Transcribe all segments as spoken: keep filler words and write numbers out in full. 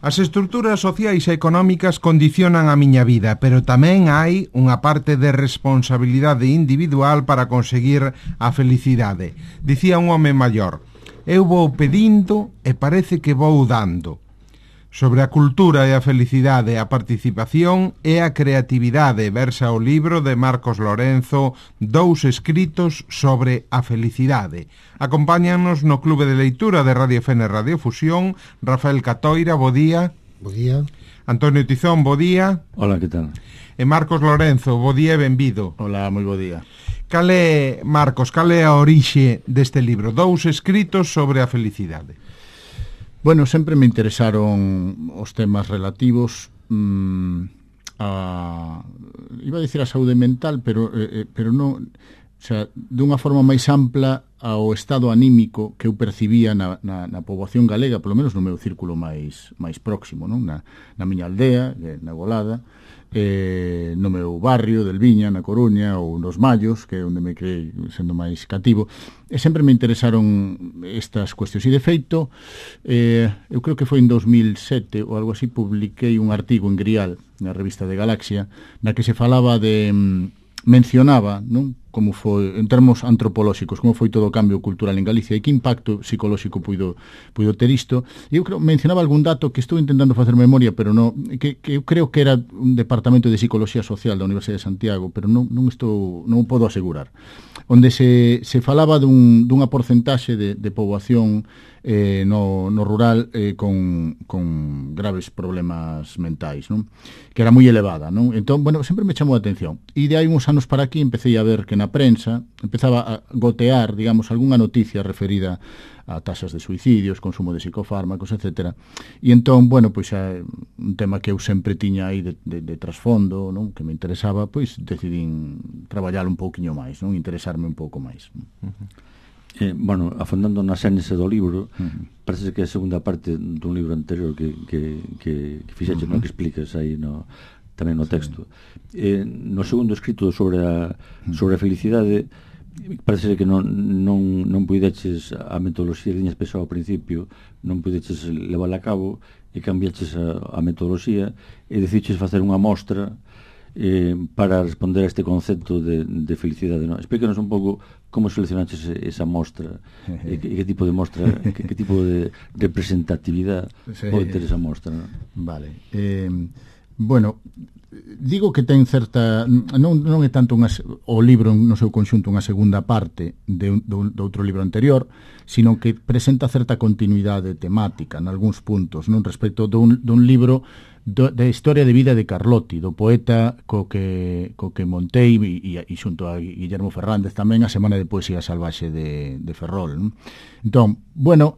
As estruturas sociais e económicas condicionan a miña vida, pero tamén hai unha parte de responsabilidade individual para conseguir a felicidade. Dicía un home maior: eu vou pedindo e parece que vou dando. Sobre a cultura e a felicidade, a participación e a creatividade, versa o libro de Marcos Lorenzo, Dous escritos sobre a felicidade. Acompáñanos no Clube de Leitura de Radio F N Radio Fusión Rafael Catoira, bo día. Bo día. Antonio Tizón, bo día. Hola, que tal? E Marcos Lorenzo, bo día e benvido. Hola, moi bo día. Cal é, Marcos, cal é a orixe deste libro? Dous escritos sobre a felicidade. Bueno, sempre me interesaron os temas relativos mmm, a, iba a dicir a saúde mental, pero eh, pero non, o sea, dunha forma máis ampla ao estado anímico que eu percibía na, na, na poboación galega, polo menos no meu círculo máis máis próximo, non? Na, na miña aldea, na Golada, eh, no meu barrio del Viña, na Coruña, ou nos Mallos, que é onde me creei sendo máis cativo, e sempre me interesaron estas cuestións. E de feito, eh, eu creo que foi en dos mil sete ou algo así, publiquei un artigo en Grial, na revista de Galaxia, na que se falaba de, mencionaba, non? Como foi, en termos antropolóxicos, como foi todo o cambio cultural en Galicia e que impacto psicolóxico puido, puido ter isto. E eu creo, mencionaba algún dato que estou intentando facer memoria, pero non, que, que eu creo que era un departamento de Psicología Social da Universidade de Santiago, pero non, non estou, non o podo asegurar, onde se, se falaba dun, dunha porcentaxe de, de poboación eh, no, no rural eh, con, con graves problemas mentais, non? Que era moi elevada, non? Entón, bueno, sempre me chamou a atención. E de hai uns anos para aquí empecé a ver que na prensa empezaba a gotear, digamos, algunha noticia referida a tasas de suicidios, consumo de psicofármacos, etcétera. E entón, bueno, pois xa un tema que eu sempre tiña aí de, de, de trasfondo, non? Que me interesaba, pois decidín traballar un pouquiño máis, non? Interesarme un pouco máis. Uh-huh. Eh, bueno, afondando na xénese do libro, uh-huh. parece que é a segunda parte dun libro anterior que, que, que, que fixeche, uh-huh. no, que explicas aí no, tamén no texto. Sí. Eh, no segundo escrito sobre a, sobre a felicidade, parece que non, non, non puideches a metodoloxía que tiñas pensado ao principio, non puideches levar a cabo e cambiaches a, a metodoloxía e deciches facer unha mostra eh, para responder a este concepto de, de felicidade, non? Explícanos un pouco como seleccionaches esa mostra e que, que tipo de mostra, que, que tipo de representatividade sí. pode ter esa mostra, non? Vale. Eh, bueno, digo que ten certa, non, non é tanto unha, o libro no seu conxunto unha segunda parte de, un, de outro libro anterior, sino que presenta certa continuidade temática en algúns puntos, non, respecto dun, dun libro do, da historia de vida de Carlotti, do poeta co que, co que montei e, e xunto a Guillermo Fernández tamén a Semana de Poesía Salvaxe de, de Ferrol, non? Entón, bueno,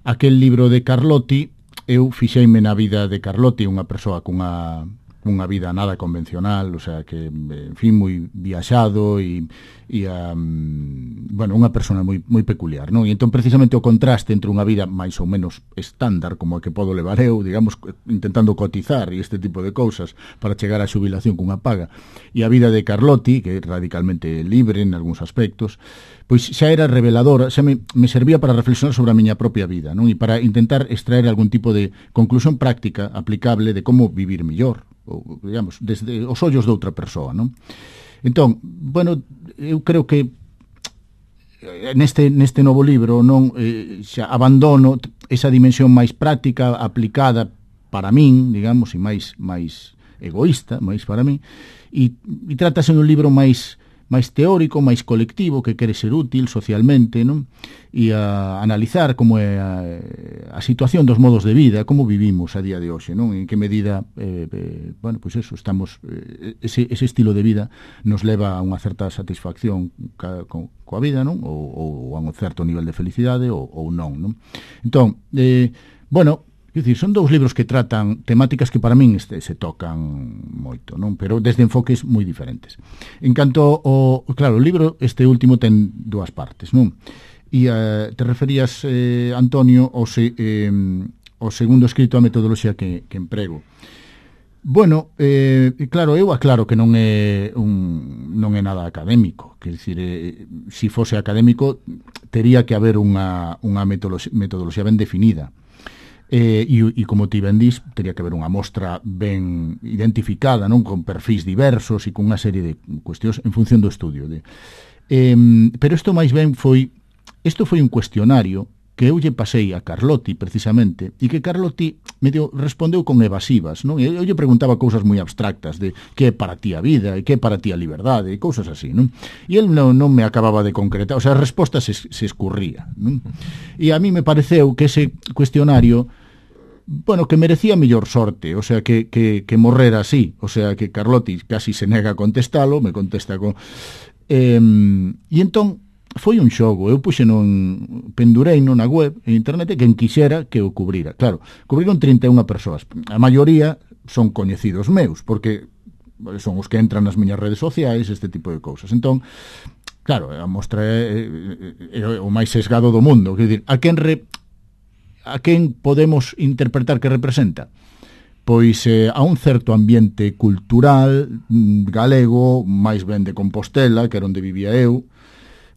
aquel libro de Carlotti, eu fixeime na vida de Carlotti, unha persoa cunha unha vida nada convencional, o sea, que, en fin, moi viaxado e, e um, bueno, unha persona moi, moi peculiar, non? E entón, precisamente, o contraste entre unha vida máis ou menos estándar, como a que podo levar eu, digamos, intentando cotizar e este tipo de cousas para chegar á xubilación cunha paga, e a vida de Carlotti, que é radicalmente libre en algúns aspectos, pois xa era reveladora, xa me, me servía para reflexionar sobre a miña propia vida, non? E para intentar extraer algún tipo de conclusión práctica aplicable de como vivir mellor, ou, digamos, desde os ollos de outra persoa, non? Entón, bueno, eu creo que neste, neste novo libro non eh, xa abandono esa dimensión máis práctica, aplicada para min, digamos, e máis máis egoísta, máis para min, e, e trátase de un libro máis máis teórico, máis colectivo, que quere ser útil socialmente, non? E a analizar como é a, a situación dos modos de vida, como vivimos a día de hoxe, non? En que medida, eh, eh, bueno, pois pues eso, estamos, eh, ese, ese estilo de vida nos leva a unha certa satisfacción ca, co, coa vida, non? Ou, ou a un certo nivel de felicidade, ou, ou non, non? Entón, eh, bueno, quer dicir, son dous libros que tratan temáticas que para min este, se tocan moito, non? Pero desde enfoques moi diferentes. En canto ao, claro, o libro este último ten dúas partes, non? E uh, te referías, eh, Antonio, ao, se, eh, ao segundo escrito, a metodoloxía que, que emprego. Bueno, eh, claro, eu aclaro que non é un, non é nada académico, quer dicir, eh, se fose académico tería que haber unha, unha metodoloxía, metodoloxía ben definida. E, e, e como ti ben dís, teria que haber unha mostra ben identificada, non, con perfis diversos e con unha serie de cuestións en función do estudio de, eh, pero isto máis ben foi isto foi un cuestionario que eu lle pasei a Carlotti precisamente, e que Carlotti medio respondeu con evasivas, non? Eu lle preguntaba cousas moi abstractas de que é para ti a vida, e que é para ti a liberdade, e cousas así, non? E el non, non me acababa de concretar, o sea, a resposta se, se escurría, non? E a mí me pareceu que ese cuestionario, bueno, que merecía mellor sorte, o sea, que, que, que morrera así, o sea, que Carlotti casi se nega a contestalo, me contesta con... Eh, e entón, foi un xogo, eu puxe non pendurei non na web, en internet, e quen quixera que o cubrira. Claro, cubriron trinta e unha persoas. A maioría son coñecidos meus, porque son os que entran nas miñas redes sociais, este tipo de cousas. Entón, claro, a mostra é, é, é o máis sesgado do mundo. Quer dizer, a quen, re, a quen podemos interpretar que representa? Pois eh, a un certo ambiente cultural galego, máis ben de Compostela, que era onde vivía eu,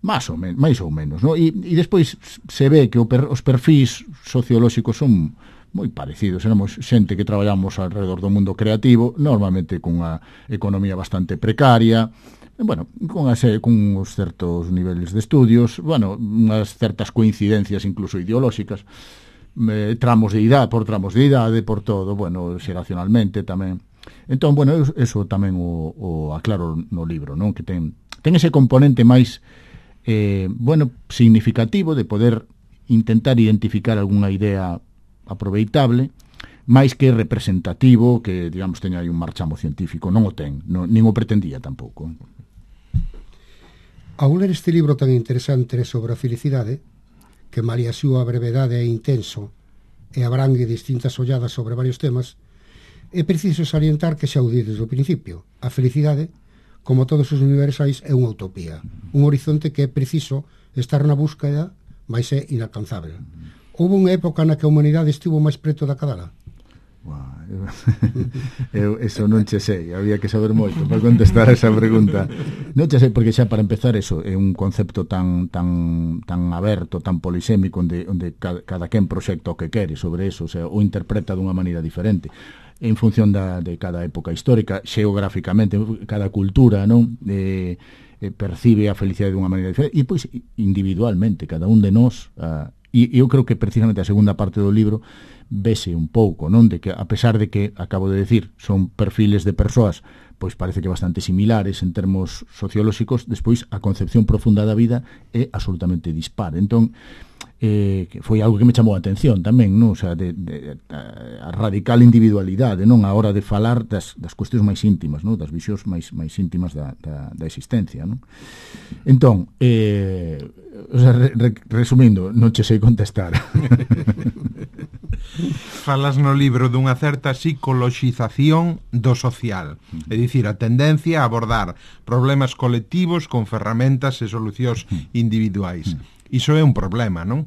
máis ou, men máis ou menos, no? E, e despois se ve que o per os perfis sociolóxicos son moi parecidos, éramos xente que traballamos alrededor do mundo creativo, normalmente cunha economía bastante precaria, e, bueno, con, ase, con uns certos niveles de estudios, bueno, unhas certas coincidencias incluso ideolóxicas, eh, tramos de idade, por tramos de idade, por todo, bueno, xeracionalmente tamén. Entón, bueno, eso tamén o, o aclaro no libro, non? Que ten, ten ese componente máis Eh, bueno, significativo de poder intentar identificar algunha idea aproveitable, máis que representativo, que, digamos, teña aí un marchamo científico. Non o ten, non, nin o pretendía tampouco. Ao ler este libro tan interesante sobre a felicidade, que malia a súa brevedade é intenso e abrangue distintas olladas sobre varios temas, é preciso salientar que xa o di desde o principio. A felicidade, como todos os universais, é unha utopía, un horizonte que é preciso estar na búsqueda, mas é inalcanzável. Houve unha época na que a humanidade estivo máis preto da cadala? Wow, eu, eu eso non che sei, había que saber moito para contestar esa pregunta. Non che sei, porque xa para empezar eso é un concepto tan tan tan aberto, tan polisémico, onde, onde cada, cada quen proxecta o que quere sobre eso, o sea, o interpreta dunha maneira diferente en función da, de cada época histórica, xeográficamente, cada cultura, non? Eh, eh, percibe a felicidade dunha maneira diferente, e pois individualmente, cada un de nós, uh, e eu creo que precisamente a segunda parte do libro vese un pouco, non? De que, a pesar de que, acabo de decir, son perfiles de persoas, pois parece que bastante similares en termos sociolóxicos, despois a concepción profunda da vida é absolutamente dispar. Entón, eh, que foi algo que me chamou a atención tamén, non? O sea, de, de, a radical individualidade, non, a hora de falar das, das cuestións máis íntimas, non? Das visións máis, máis íntimas da, da, da existencia, non? Entón, eh, o sea, re, re, resumindo, non che sei contestar. Falas no libro dunha certa psicoloxización do social, é dicir, a tendencia a abordar problemas colectivos con ferramentas e solucións individuais. Iso é un problema, non?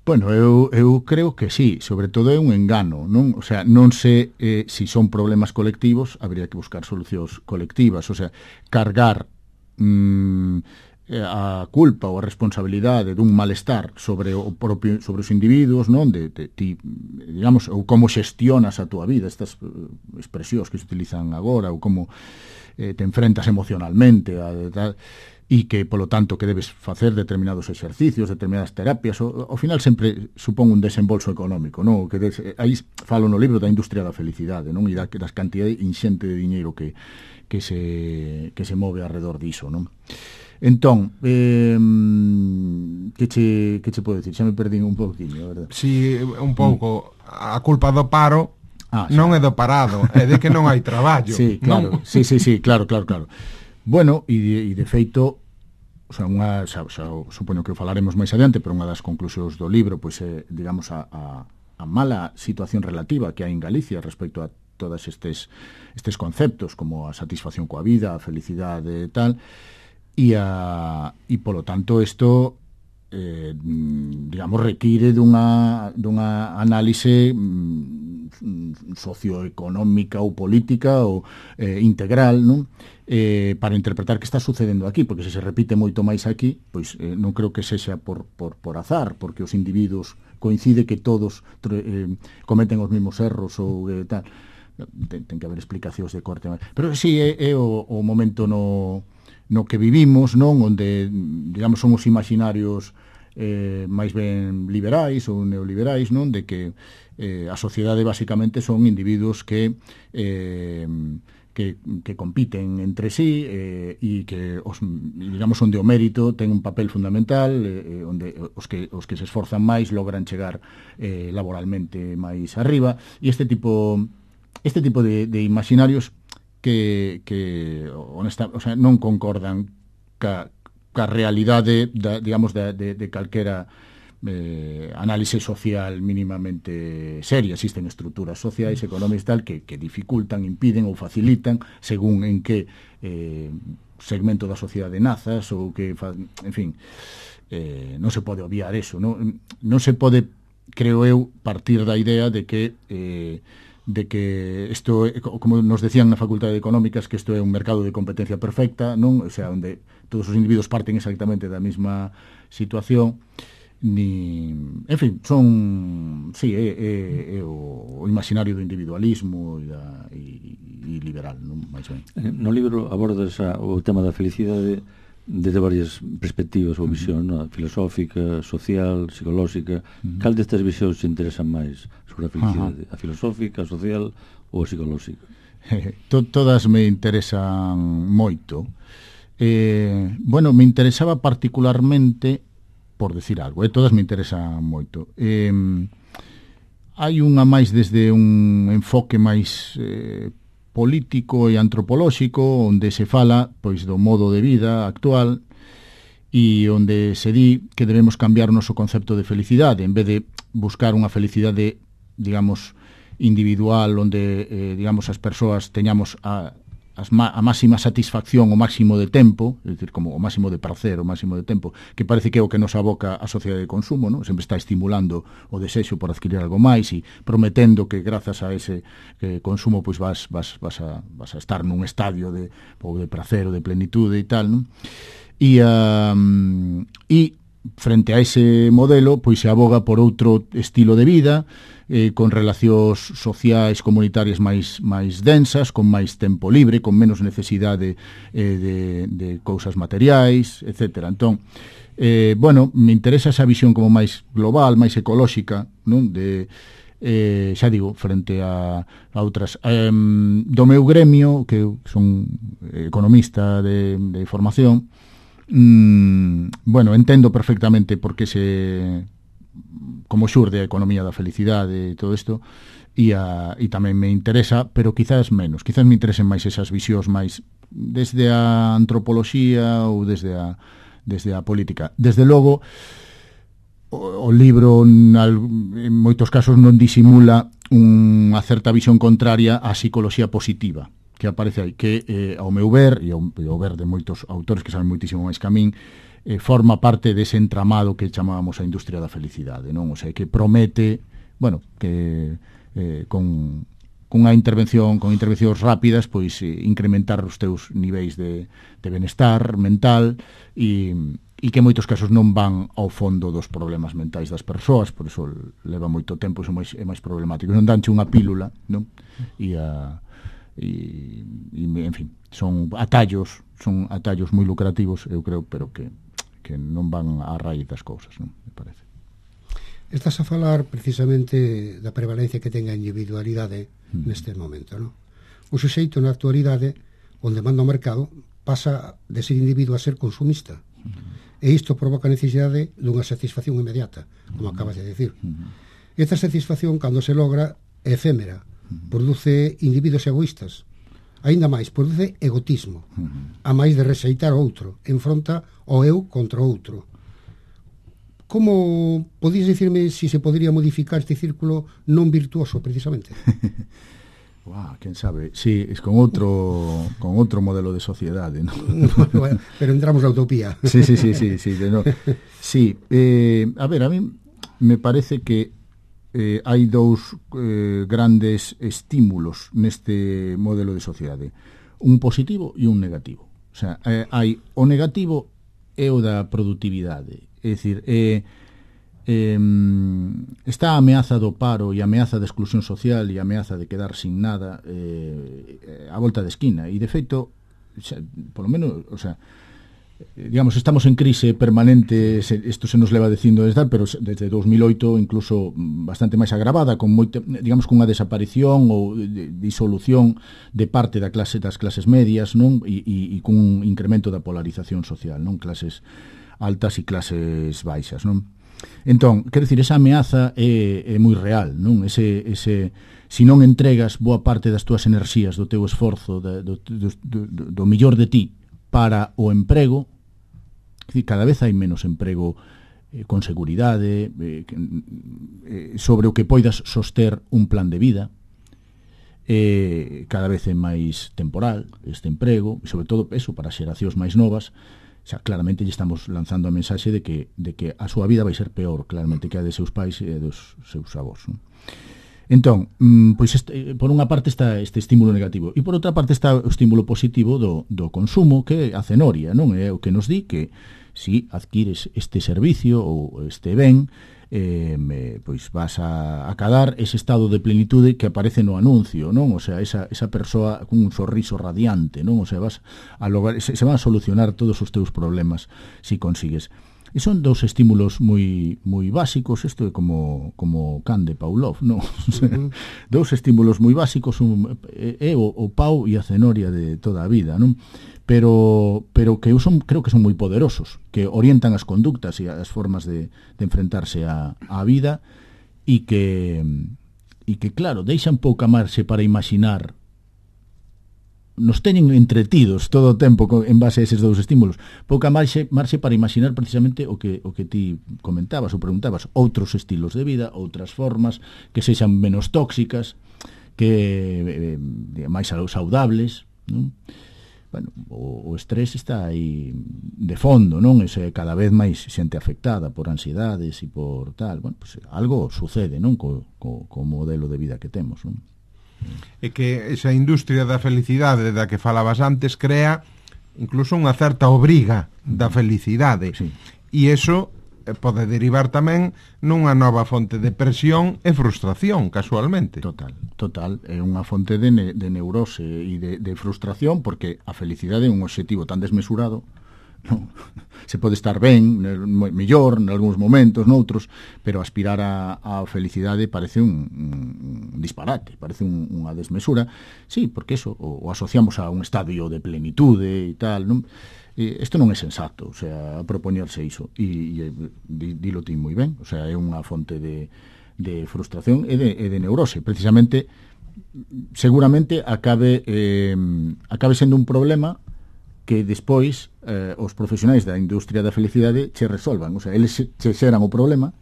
Bueno, eu, eu creo que sí, sobre todo é un engano, non? O sea, non sei eh, se si son problemas colectivos, habría que buscar solucións colectivas, o sea, cargar mmm, a culpa ou a responsabilidade dun malestar sobre o propio, sobre os individuos, non? De, de ti, digamos, ou como xestionas a túa vida, estas expresións que se utilizan agora, ou como eh, te enfrentas emocionalmente a tal, e que, polo tanto, que debes facer determinados exercicios, determinadas terapias, o, ao final sempre supón un desembolso económico, non? Que des, aí falo no libro da industria da felicidade, non? E da, das cantidades inxente de diñeiro que, que, se, que se move alrededor diso, non? Entón, eh, que che, que che podo dicir? Xa me perdín un pouquinho, verdad? Si, un pouco, a culpa do paro ah, non é do parado, é de que non hai traballo. Sí, claro, non? sí, sí, sí, claro, claro, claro. Bueno, e de, e de feito, o sea, unha, xa, xa, supoño que o falaremos máis adiante, pero unha das conclusións do libro, pois é, digamos, a, a, a mala situación relativa que hai en Galicia respecto a todos estes, estes conceptos, como a satisfacción coa vida, a felicidade e tal, e, a, e polo tanto, isto, eh, digamos, require dunha, dunha análise mm, socioeconómica ou política ou eh, integral, non? Eh, para interpretar que está sucedendo aquí, porque se se repite moito máis aquí, pois eh, non creo que sexa por, por, por azar, porque os individuos coincide que todos eh, cometen os mesmos erros ou eh, tal. Ten, ten que haber explicacións de corte. Pero sí, é, é o, o momento no, no que vivimos, non? Onde, digamos, son os imaginarios eh, máis ben liberais ou neoliberais, non? De que eh, a sociedade basicamente son individuos que eh, que, que compiten entre sí eh, e que os, digamos, onde o mérito ten un papel fundamental, eh, onde os que, os que se esforzan máis logran chegar eh, laboralmente máis arriba, e este tipo este tipo de, de imaginarios que, que honesta, o sea, non concordan ca, ca realidade da, digamos, de, de, de calquera Eh, análise social mínimamente seria. Existen estruturas sociais, económicas tal que, que dificultan, impiden ou facilitan según en que eh, segmento da sociedade nazas ou que, en fin, eh, non se pode obviar eso, non, non se pode, creo eu, partir da idea de que eh, de que isto, como nos decían na Facultade de Económicas, que isto é un mercado de competencia perfecta, non? O sea, onde todos os individuos parten exactamente da mesma situación. Ni, en fin, son sí, é, é, é o, o imaginario do individualismo e, da, e, e liberal, non máis ben. No libro abordas a, o tema da felicidade desde varias perspectivas ou visión, uh -huh. no? Filosófica, social, psicolóxica. Uh -huh. Cal destas visións se interesan máis sobre a felicidade? Uh -huh. A filosófica, a social ou a psicolóxica? Todas me interesan moito. Eh, bueno, me interesaba particularmente, por decir algo, eh, todas me interesan moito. Eh, hai unha máis desde un enfoque máis eh, político e antropolóxico, onde se fala pois do modo de vida actual e onde se di que debemos cambiar o noso concepto de felicidade, en vez de buscar unha felicidade, digamos, individual, onde, eh, digamos, as persoas teñamos a As a máxima satisfacción, o máximo de tempo, é dicir, como o máximo de prazer, o máximo de tempo, que parece que é o que nos aboca a sociedade de consumo, non? Sempre está estimulando o desexo por adquirir algo máis e prometendo que grazas a ese que consumo pois vas, vas, vas, a, vas a estar nun estadio de, ou de prazer ou de plenitude e tal, non? E, um, e frente a ese modelo, pois se aboga por outro estilo de vida, eh, con relacións sociais comunitarias máis máis densas, con máis tempo libre, con menos necesidade eh, de, de cousas materiais, etcétera. Entón, eh, bueno, me interesa esa visión como máis global, máis ecolóxica, non? De, eh, xa digo, frente a, a outras. Eh, do meu gremio, que son economista de, de formación, mm, bueno, entendo perfectamente por que se como xurde a economía da felicidade e todo isto, e, a, e tamén me interesa, pero quizás menos, quizás me interesen máis esas visións máis desde a antropoloxía ou desde a, desde a política. Desde logo, o, o libro en, en moitos casos non disimula unha certa visión contraria á psicoloxía positiva que aparece aí, que eh, ao meu ver, e ao, e ao ver de moitos autores que saben moitísimo máis que a min, eh, forma parte dese entramado que chamábamos a industria da felicidade, non? O sea, que promete, bueno, que eh, con, con unha intervención, con intervencións rápidas, pois eh, incrementar os teus niveis de, de benestar mental e, e que en moitos casos non van ao fondo dos problemas mentais das persoas, por iso leva moito tempo, iso máis, é máis problemático. Non danche unha pílula, non? E a e, e en fin, son atallos, son atallos moi lucrativos, eu creo, pero que que non van á raíz das cousas, non? Me parece. Estás a falar precisamente da prevalencia que ten a individualidade mm. neste momento, non? O suxeito na actualidade, onde manda o mercado, pasa de ser individuo a ser consumista. Mm. E isto provoca a necesidade dunha satisfacción inmediata, como mm. acabas de decir. Mm. Esta satisfacción, cando se logra, é efémera, mm. produce individuos egoístas. Ainda máis, produce egotismo, uh-huh. a máis de rexeitar o outro, enfronta o eu contra o outro. Como podías dicirme si se podría modificar este círculo non virtuoso, precisamente? Wow, quen sabe, sí, es con outro con outro modelo de sociedade, ¿no? Bueno, pero entramos na utopía. Sí, sí, sí, sí, sí, de no. Sí, eh, a ver, a mí me parece que Eh, hai dous eh, grandes estímulos neste modelo de sociedade, un positivo e un negativo. O sea, eh, hai o negativo é o da produtividade, é dicir, eh, eh, está a ameaza do paro e a ameaza de exclusión social e a ameaza de quedar sin nada eh, a volta de esquina, e de feito xa, polo menos, o sea, digamos, estamos en crise permanente, isto se nos leva dicindo desde, pero desde dos mil oito incluso bastante máis agravada, con moita, digamos, cunha desaparición ou disolución de parte da clase das clases medias, non? E, e, e cun incremento da polarización social, non? Clases altas e clases baixas, non? Entón, quero dicir, esa ameaza é, é moi real, non? Ese, ese, se non entregas boa parte das túas enerxías, do teu esforzo, do, do, do, do, do millor de ti para o emprego, cada vez hai menos emprego eh, con seguridade, eh, eh, sobre o que poidas soster un plan de vida, eh, cada vez é máis temporal este emprego, e sobre todo eso para xeracións máis novas, xa claramente lle estamos lanzando a mensaxe de que, de que a súa vida vai ser peor, claramente, que a de seus pais e dos seus avós, non? Entón, pois este, por unha parte está este estímulo negativo e por outra parte está o estímulo positivo do, do consumo, que é a cenoria, non? É o que nos di que si adquires este servicio ou este ben, eh, pois vas a acadar ese estado de plenitude que aparece no anuncio, non? O sea, esa, esa persoa con un sorriso radiante, non? O sea, vas a lograr, se, se van a solucionar todos os teus problemas si consigues. E son dous estímulos moi moi básicos, isto é como como can de Pavlov, non? Uh-huh. Dous estímulos moi básicos, un, é o, o pau e a cenoria de toda a vida, non? Pero pero que son, creo que son moi poderosos, que orientan as conductas e as formas de, de enfrentarse á a vida, e que e que claro, deixan pouca marxe para imaginar, nos teñen entretidos todo o tempo en base a eses dous estímulos, pouca marxe, marxe para imaginar precisamente o que o que ti comentabas ou preguntabas, outros estilos de vida, outras formas que sexan menos tóxicas, que eh, máis saudables, non? Bueno, o, o estrés está aí de fondo, non? Ese cada vez máis xente afectada por ansiedades e por tal, bueno, pues algo sucede, non? Co, co, co modelo de vida que temos, non? É que esa industria da felicidade da que falabas antes crea incluso unha certa obriga da felicidade, sí. E iso pode derivar tamén nunha nova fonte de presión e frustración, casualmente. Total, total, é unha fonte de, ne, de neurose e de, de frustración, porque a felicidade é un obxectivo tan desmesurado, non? Se pode estar ben, mellor en algúns momentos, noutros, pero aspirar a, a felicidade parece un, un disparate, parece un, unha desmesura. Sí, porque eso o, o asociamos a un estadio de plenitude e tal, non? E isto non é sensato, o sea, propoñerse iso, e, e dilo ti moi ben, o sea, é unha fonte de, de frustración e de, e de neurose, precisamente, seguramente acabe eh, acabe sendo un problema que despois eh, os profesionais da industria da felicidade che resolvan, o sea, eles che xeran o problema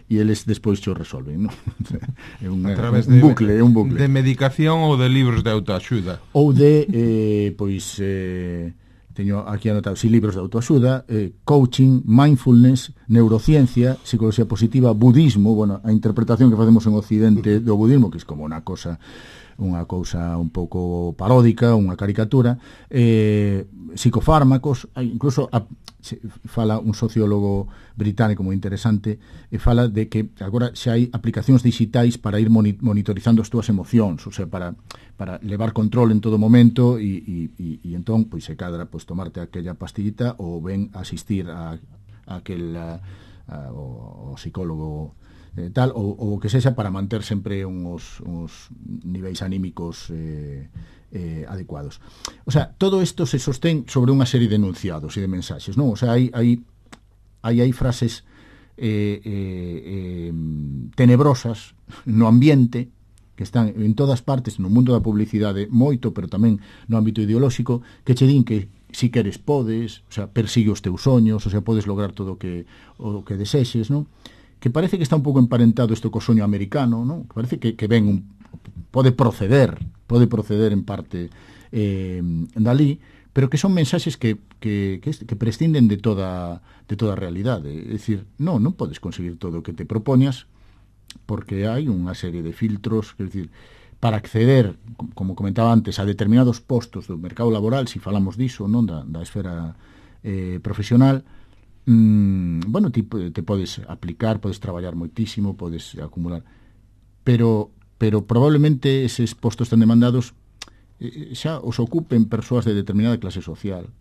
e eles despois che o resolven, non? É un, a través un de, bucle, é un bucle. De medicación ou de libros de autoaxuda. Ou de, eh, pois, eh, teño aquí anotado, si, libros de autoaxuda, eh, coaching, mindfulness, neurociencia, psicología positiva, budismo, bueno, a interpretación que facemos en Occidente do budismo, que é como unha cosa unha cousa un pouco paródica, unha caricatura, eh, psicofármacos, incluso a, se, fala un sociólogo británico moi interesante, e fala de que agora xa hai aplicacións digitais para ir monitorizando as túas emocións, o sea, para, para levar control en todo momento, e, e, e, e entón, pois se cadra pues, tomarte aquella pastillita ou ben asistir a, a aquel a, a, o, o psicólogo Eh, tal, ou, ou que sexa para manter sempre uns, uns niveis anímicos eh, eh, adecuados. O sea, todo isto se sostén sobre unha serie de enunciados e de mensaxes, non? O sea, hai, hai, hai, hai frases eh, eh, eh, tenebrosas no ambiente que están en todas partes, no mundo da publicidade moito, pero tamén no ámbito ideolóxico, que che din que si queres podes, o sea, persigue os teus soños, o sea, podes lograr todo o que, o que desexes, non? Que parece que está un pouco emparentado isto co soño americano, non? Que parece que, que ven un, pode proceder, pode proceder en parte eh, dali, pero que son mensaxes que, que, que, que prescinden de toda, de toda a realidade. É dicir, non, non podes conseguir todo o que te propoñas, porque hai unha serie de filtros, é dicir, para acceder, como comentaba antes, a determinados postos do mercado laboral, se si falamos diso, non da, da esfera eh, profesional, mm, bueno, ti te podes aplicar, podes traballar moitísimo, podes acumular, pero pero probablemente eses postos tan demandados eh, xa os ocupen persoas de determinada clase social,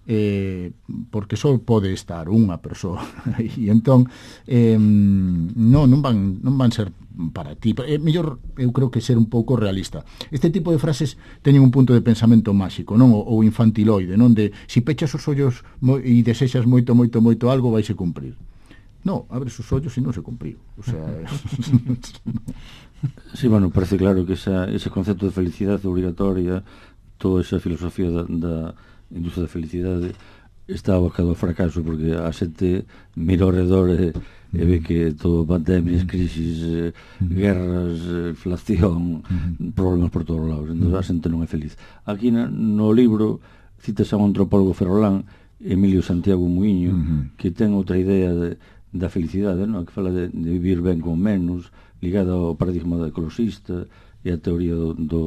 eh, porque só pode estar unha persoa e entón eh, non, non, van, non van ser para ti. É mellor, eu creo que ser un pouco realista. Este tipo de frases teñen un punto de pensamento máxico, non? Ou infantiloide, non? De si pechas os ollos e desexas moito, moito, moito algo, vaise cumprir. No, abres os ollos e non se cumpriu. O sea, sí, bueno, parece claro que esa, ese concepto de felicidade obrigatoria, toda esa filosofía da, da industria da felicidade está abocado ao fracaso, porque a xente mira ao redor e, e ve que todo pandemias, crisis, eh, guerras, eh, inflación, problemas por todos lados, entón a xente non é feliz. Aquí na, no libro citas a un antropólogo ferrolán, Emilio Santiago Muiño, que ten outra idea de, da felicidade, non? Que fala de, de vivir ben con menos, ligada ao paradigma da ecologista e a teoría do, do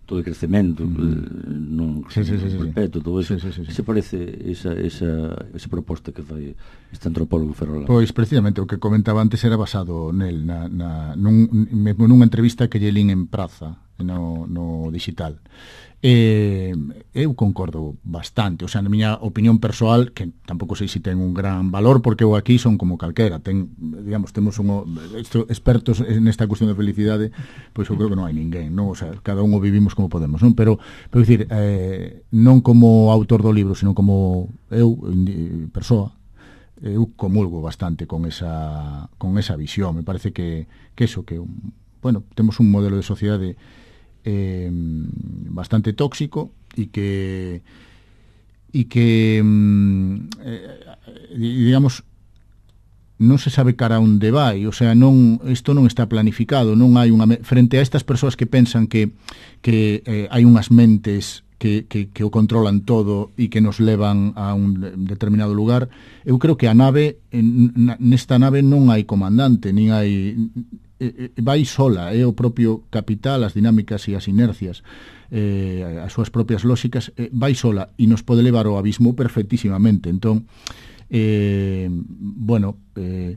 todo o crecemento, mm. non sí, sí, sí, perpetuo, todo eso. Sí, sí, sí, sí. Se parece esa, esa, esa proposta que fai este antropólogo ferrolán. Pois precisamente o que comentaba antes era basado nel, na, na, nun, nunha entrevista que lle lín en Praza, no, no digital. Eh, eu concordo bastante, o sea, na miña opinión persoal, que tampouco sei se ten un gran valor, porque eu aquí son como calquera, ten, digamos, temos un esto, expertos nesta cuestión de felicidade, pois eu creo que non hai ninguén, non? O sea, cada un o vivimos como podemos, non? Pero, pero dicir, eh, non como autor do libro, sino como eu, persoa, eu comulgo bastante con esa con esa visión. Me parece que, que eso, que, bueno, temos un modelo de sociedade Eh, bastante tóxico e que e que eh, digamos non se sabe cara onde vai, o sea, non isto non está planificado, non hai unha frente a estas persoas que pensan que que eh, hai unhas mentes que, que, que o controlan todo e que nos levan a un determinado lugar. Eu creo que a nave nesta nave non hai comandante, nin hai vai sola, é o propio capital, as dinámicas e as inercias, eh, as súas propias lóxicas, eh, vai sola e nos pode levar ao abismo perfectísimamente. Entón, eh, bueno, eh,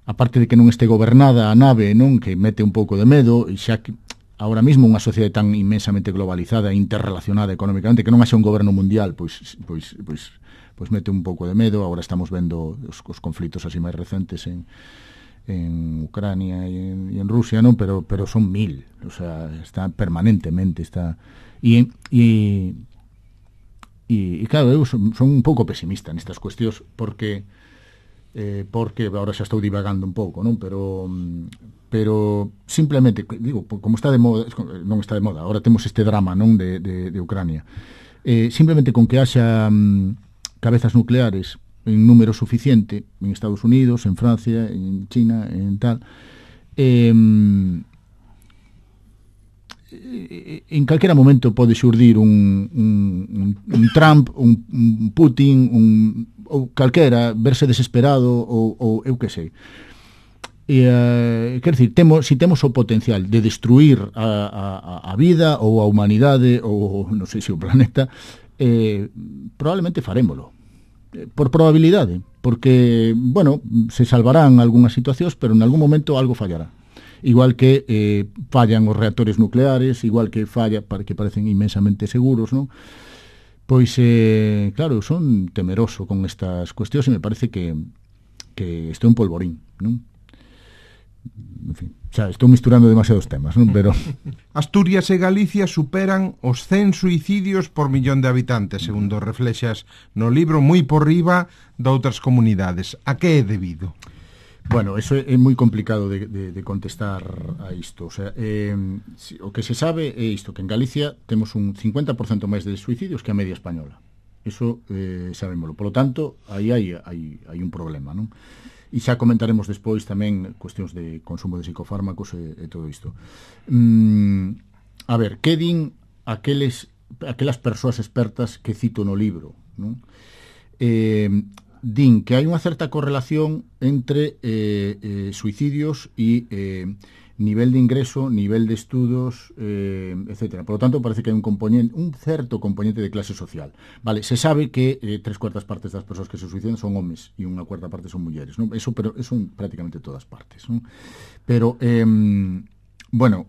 aparte de que non este gobernada a nave, non, que mete un pouco de medo, e xa que ahora mismo unha sociedade tan inmensamente globalizada e interrelacionada económicamente, que non haxa un goberno mundial, pois, pois, pois, pois mete un pouco de medo. Agora estamos vendo os, os conflitos así máis recentes en en Ucrania e en, y en Rusia, non, pero pero son mil, o sea, está permanentemente, está e e e claro, eu son, son un pouco pesimista nestas cuestións porque eh, porque agora xa estou divagando un pouco, non, pero pero simplemente, digo, como está de moda, non está de moda, agora temos este drama, non, de, de, de Ucrania, eh, simplemente con que haxa um, cabezas nucleares en número suficiente en Estados Unidos, en Francia, en China, en tal, eh, en calquera momento pode xurdir un, un, un Trump, un, un Putin, un, ou calquera, verse desesperado ou, ou eu que sei. E, uh, quer dizer, temos, si temos o potencial de destruir a, a, a vida ou a humanidade ou non sei se o planeta, eh, probablemente farémolo por probabilidade, porque, bueno, se salvarán algunhas situacións, pero en algún momento algo fallará. Igual que eh, fallan os reactores nucleares, igual que falla, para que parecen inmensamente seguros, non? Pois, eh, claro, son temeroso con estas cuestións e me parece que, que estou un polvorín, non? En fin, xa, estou misturando demasiados temas, non? Pero Asturias e Galicia superan os cen suicidios por millón de habitantes, segundo reflexas no libro, moi por riba de outras comunidades. A que é debido? Bueno, eso é moi complicado de, de, de contestar a isto. O sea, eh, si, o que se sabe é isto, que en Galicia temos un cincuenta por cento máis de suicidios que a media española. Eso eh, sabémoslo. Por lo tanto, aí hai, hai, hai un problema, non? E xa comentaremos despois tamén cuestións de consumo de psicofármacos e, e todo isto. Mm, a ver, que din aqueles, aquelas persoas expertas que cito no libro, non? Eh, din que hai unha certa correlación entre eh, eh, suicidios e, eh, nivel de ingreso, nivel de estudos, eh, etcétera. Por lo tanto, parece que hai un componente, un certo componente de clase social. Vale, se sabe que eh, tres cuartas partes das persoas que se suicidan son homes e unha cuarta parte son mulleres, ¿no? Eso, pero eso en prácticamente todas partes, ¿no? Pero, eh, bueno,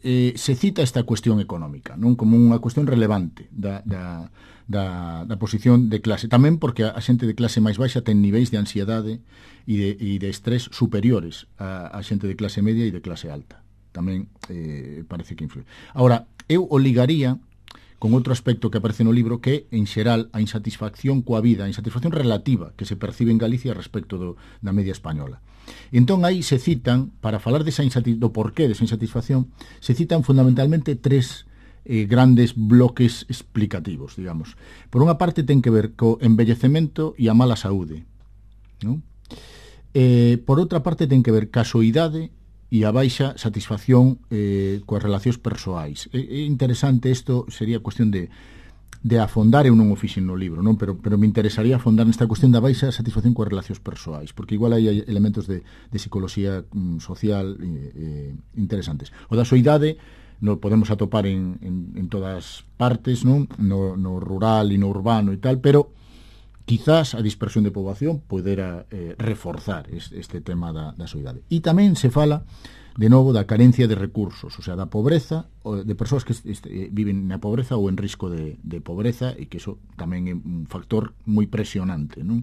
eh, se cita esta cuestión económica, non? Como unha cuestión relevante da, da, da, da posición de clase. Tamén porque a xente de clase máis baixa ten niveis de ansiedade e de, e de estrés superiores a, a xente de clase media e de clase alta. Tamén eh, parece que influe. Ahora, eu o ligaría con outro aspecto que aparece no libro, que en xeral a insatisfacción coa vida, a insatisfacción relativa que se percibe en Galicia respecto do, da media española. Entón aí se citan, para falar desa do porqué desa insatisfacción, se citan fundamentalmente tres eh, grandes bloques explicativos, digamos. Por unha parte ten que ver co envellecemento e a mala saúde, non? Eh, por outra parte ten que ver ca soidade e a baixa satisfacción eh, coas relacións persoais. É, é interesante isto, sería cuestión de, de afondar, eu non o fixen no libro, non? Pero, pero me interesaría afondar nesta cuestión da baixa satisfacción coas relacións persoais, porque igual hai elementos de, de psicología mm, social eh, interesantes. O da soidade no podemos atopar en, en, en todas partes, non? No, no rural e no urbano e tal, pero quizás a dispersión de poboación podera eh, reforzar este, este tema da, da soidade. E tamén se fala, de novo, da carencia de recursos, o sea, da pobreza, de persoas que este, viven na pobreza ou en risco de, de pobreza, e que iso tamén é un factor moi presionante, non?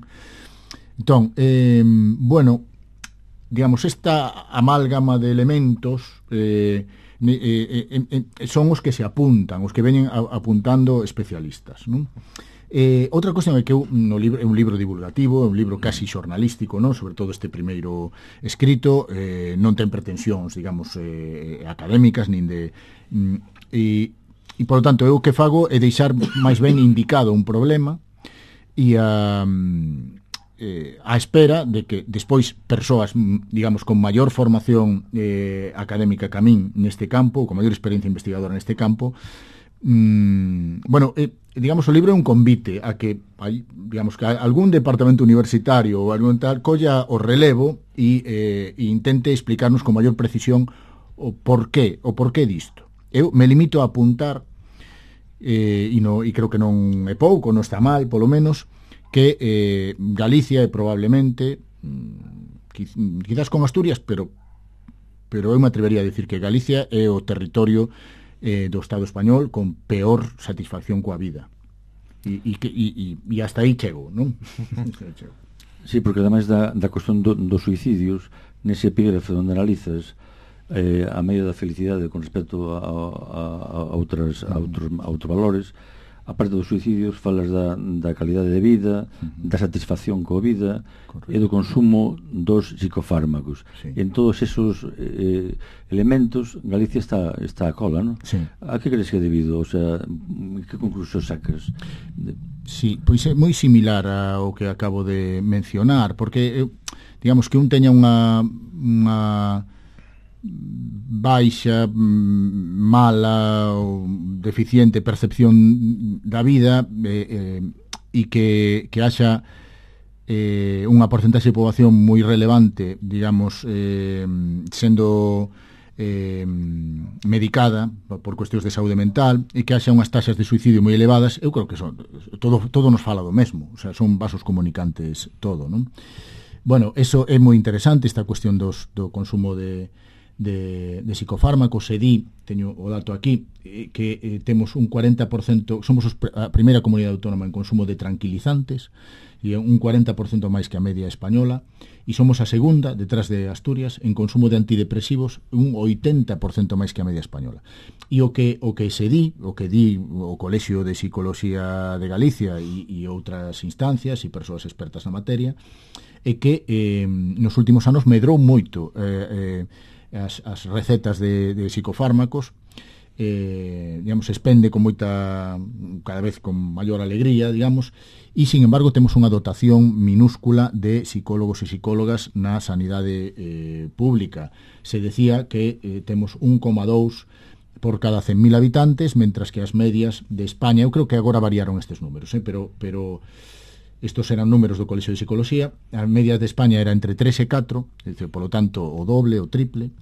Entón, eh, bueno, digamos, esta amálgama de elementos eh, eh, eh, eh, son os que se apuntan, os que veñen a, apuntando especialistas, non? Eh, outra cuestión é que no libro, é un libro divulgativo, é un libro casi xornalístico, non? Sobre todo este primeiro escrito, eh, non ten pretensións, digamos, eh, académicas, nin de... E, e, por lo tanto, eu o que fago é deixar máis ben indicado un problema e a, eh, a espera de que despois persoas, digamos, con maior formación eh, académica que a min neste campo, con maior experiencia investigadora neste campo, mm, bueno, eh, digamos, o libro é un convite a que, hay, digamos, que algún departamento universitario ou algún tal colla o relevo e, eh, e intente explicarnos con maior precisión o porqué, o porqué disto. Eu me limito a apuntar, eh, e, no, e creo que non é pouco, non está mal, polo menos, que eh, Galicia é probablemente, mm, quizás con Asturias, pero, pero eu me atrevería a decir que Galicia é o territorio Eh, do Estado español con peor satisfacción coa vida, e, e, e, e hasta aí chego, non? Sí, porque ademais da, da cuestión do, dos suicidios, nese epígrafe onde analizas eh, a medio da felicidade con respecto a, a, a, outras, a, outros, a outros valores, aparte dos suicidios, falas da, da calidade de vida, uh-huh. da satisfacción coa vida, correcto, e do consumo dos psicofármacos. Sí. E en todos esos eh, elementos, Galicia está, está a cola, non? Sí. A que crees que é debido? O sea, que conclusión sacas? De... Sí, pois é moi similar ao que acabo de mencionar, porque, digamos, que un teña unha... unha baixa, mala ou deficiente percepción da vida eh, eh, e que, que haxa eh, unha porcentaxe de poboación moi relevante, digamos, eh, sendo eh, medicada por cuestións de saúde mental, e que haxa unhas taxas de suicidio moi elevadas, eu creo que son, todo, todo nos fala do mesmo, o sea, son vasos comunicantes todo, non? Bueno, eso é moi interesante, esta cuestión dos, do consumo de De, de psicofármacos. Se di, teño o dato aquí, eh, que eh, temos un cuarenta por cento, somos os, a primeira comunidade autónoma en consumo de tranquilizantes, e un cuarenta por cento máis que a media española, e somos a segunda, detrás de Asturias, en consumo de antidepresivos, un oitenta por cento máis que a media española. E o que o que se di, o que di o Colexio de Psicología de Galicia e, e outras instancias e persoas expertas na materia, é que eh, nos últimos anos medrou moito eh, eh, As, as recetas de, de psicofármacos, eh, digamos, se expende con moita, cada vez con maior alegría, digamos, e, sin embargo, temos unha dotación minúscula de psicólogos e psicólogas na sanidade eh, pública. Se decía que eh, temos un coma dous por cada cen mil habitantes, mentras que as medias de España, eu creo que agora variaron estes números, eh, pero... pero estos eran números do Colexio de Psicología, as medias de España era entre tres e catro, por lo tanto, o doble, o triple,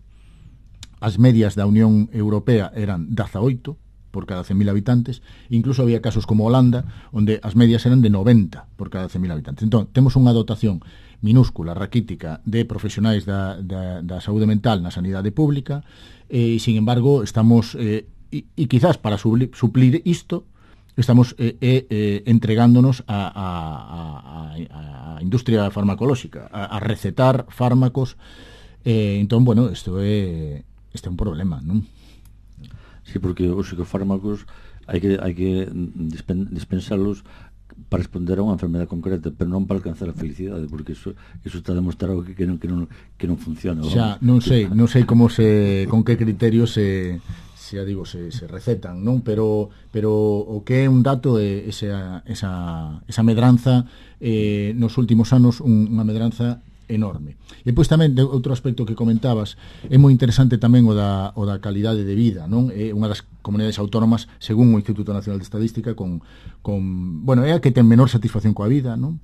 as medias da Unión Europea eran dezaoito por cada cen mil habitantes, incluso había casos como Holanda, onde as medias eran de noventa por cada cen mil habitantes. Entón, temos unha dotación minúscula, raquítica, de profesionais da, da, da saúde mental na sanidade pública, e, sin embargo, estamos, eh, e, e quizás para suplir, suplir isto, estamos eh, eh, entregándonos a, a, a, a industria farmacolóxica, a, a recetar fármacos. Eh, entón, bueno, isto é, este é un problema, non? Sí, porque os psicofármacos hai que hai que dispen, dispensalos para responder a unha enfermedade concreta, pero non para alcanzar a felicidade, porque eso eso está demostrado que, que non que non que non funciona. Xa, non sei, non sei como se con que criterios se se digo se, se recetan, non, pero pero o que é un dato é esa esa esa medranza eh nos últimos anos un, unha medranza enorme. E pois tamén de outro aspecto que comentabas, é moi interesante tamén o da, o da calidade de vida, non? É unha das comunidades autónomas, según o Instituto Nacional de Estadística, con, con bueno, é a que ten menor satisfacción coa vida, non?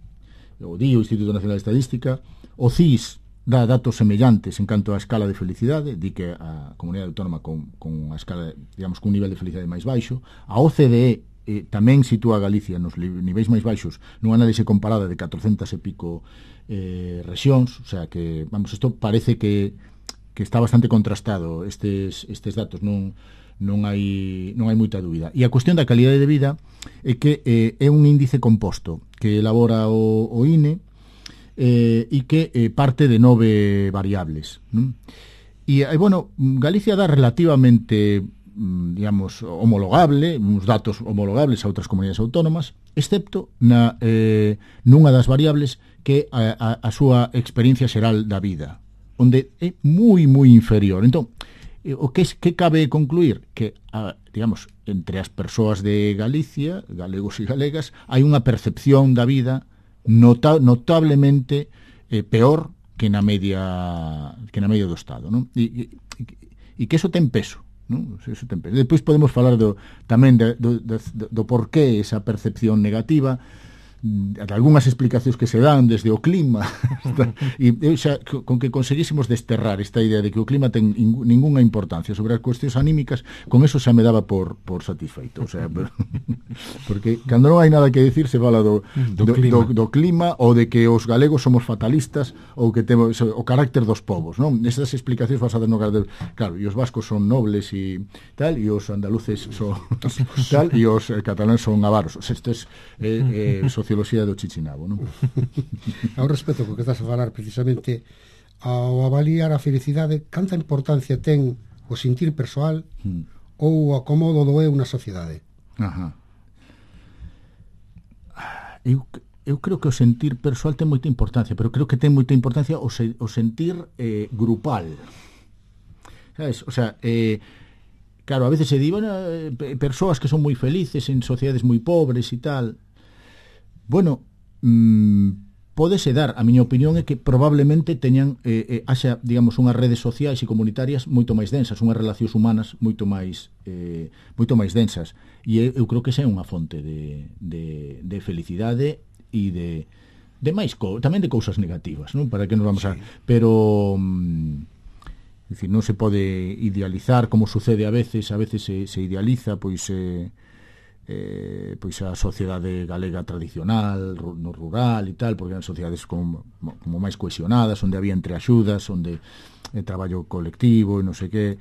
O di o Instituto Nacional de Estadística, o C I S dá datos semellantes en canto á escala de felicidade, di que a comunidade autónoma con, con a escala, digamos, con un nivel de felicidade máis baixo. A O C D E eh, tamén sitúa a Galicia nos niveis máis baixos nunha análise comparada de catrocentas e pico eh, rexións, o sea que, vamos, isto parece que, que está bastante contrastado estes, estes datos, non, non hai non hai moita dúbida. E a cuestión da calidade de vida é que eh, é un índice composto que elabora o, o I N E eh, e que eh, parte de nove variables, non? E, eh, bueno, Galicia dá relativamente, digamos, homologable, uns datos homologables a outras comunidades autónomas, excepto na, eh, nunha das variables que a, a, a súa experiencia xeral da vida, onde é moi, moi inferior. Entón, o que, que cabe concluir? Que, a, digamos, entre as persoas de Galicia, galegos e galegas, hai unha percepción da vida nota, notablemente eh, peor que na media que na media do Estado, non? E, e, e que eso ten peso, non? Eso ten peso. Depois podemos falar do, tamén de, do, do, do porqué esa percepción negativa, de algunhas explicacións que se dan desde o clima e eu xa, con que conseguísemos desterrar esta idea de que o clima ten ninguna importancia sobre as cuestións anímicas, con eso xa me daba por, por satisfeito, o sea, porque cando non hai nada que decir se fala do, do, do, clima. Do, do clima ou de que os galegos somos fatalistas ou que temos o carácter dos povos, non? Estas explicacións basadas no carácter, claro, e os vascos son nobles e tal, e os andaluces son tal, e os cataláns son avaros. O sea, isto é eh, eh, socioloxía do Chichinabo, non? Ao respecto, porque estás a falar precisamente ao avaliar a felicidade, canta importancia ten o sentir persoal hmm. ou o acomodo do eu na sociedade? Ajá. Eu, eu creo que o sentir persoal ten moita importancia, pero creo que ten moita importancia o, se, o sentir eh, grupal. Sabes? O sea, eh, claro, a veces se di, bueno, eh, persoas que son moi felices en sociedades moi pobres e tal. Bueno, mmm, pódese dar, a miña opinión é que probablemente teñan eh, eh, haxa, digamos, unhas redes sociais e comunitarias moito máis densas, unhas relacións humanas moito máis eh, moito máis densas, e eu creo que esa é unha fonte de, de, de felicidade e de, de máis co, tamén de cousas negativas, non? Para que nos vamos sí. a... Pero mmm, decir, non se pode idealizar como sucede a veces, a veces se, se idealiza pois eh, Eh, pois a sociedade galega tradicional, no rural e tal, porque eran sociedades como, como máis cohesionadas, onde había entreaxudas, onde eh, traballo colectivo e non sei que,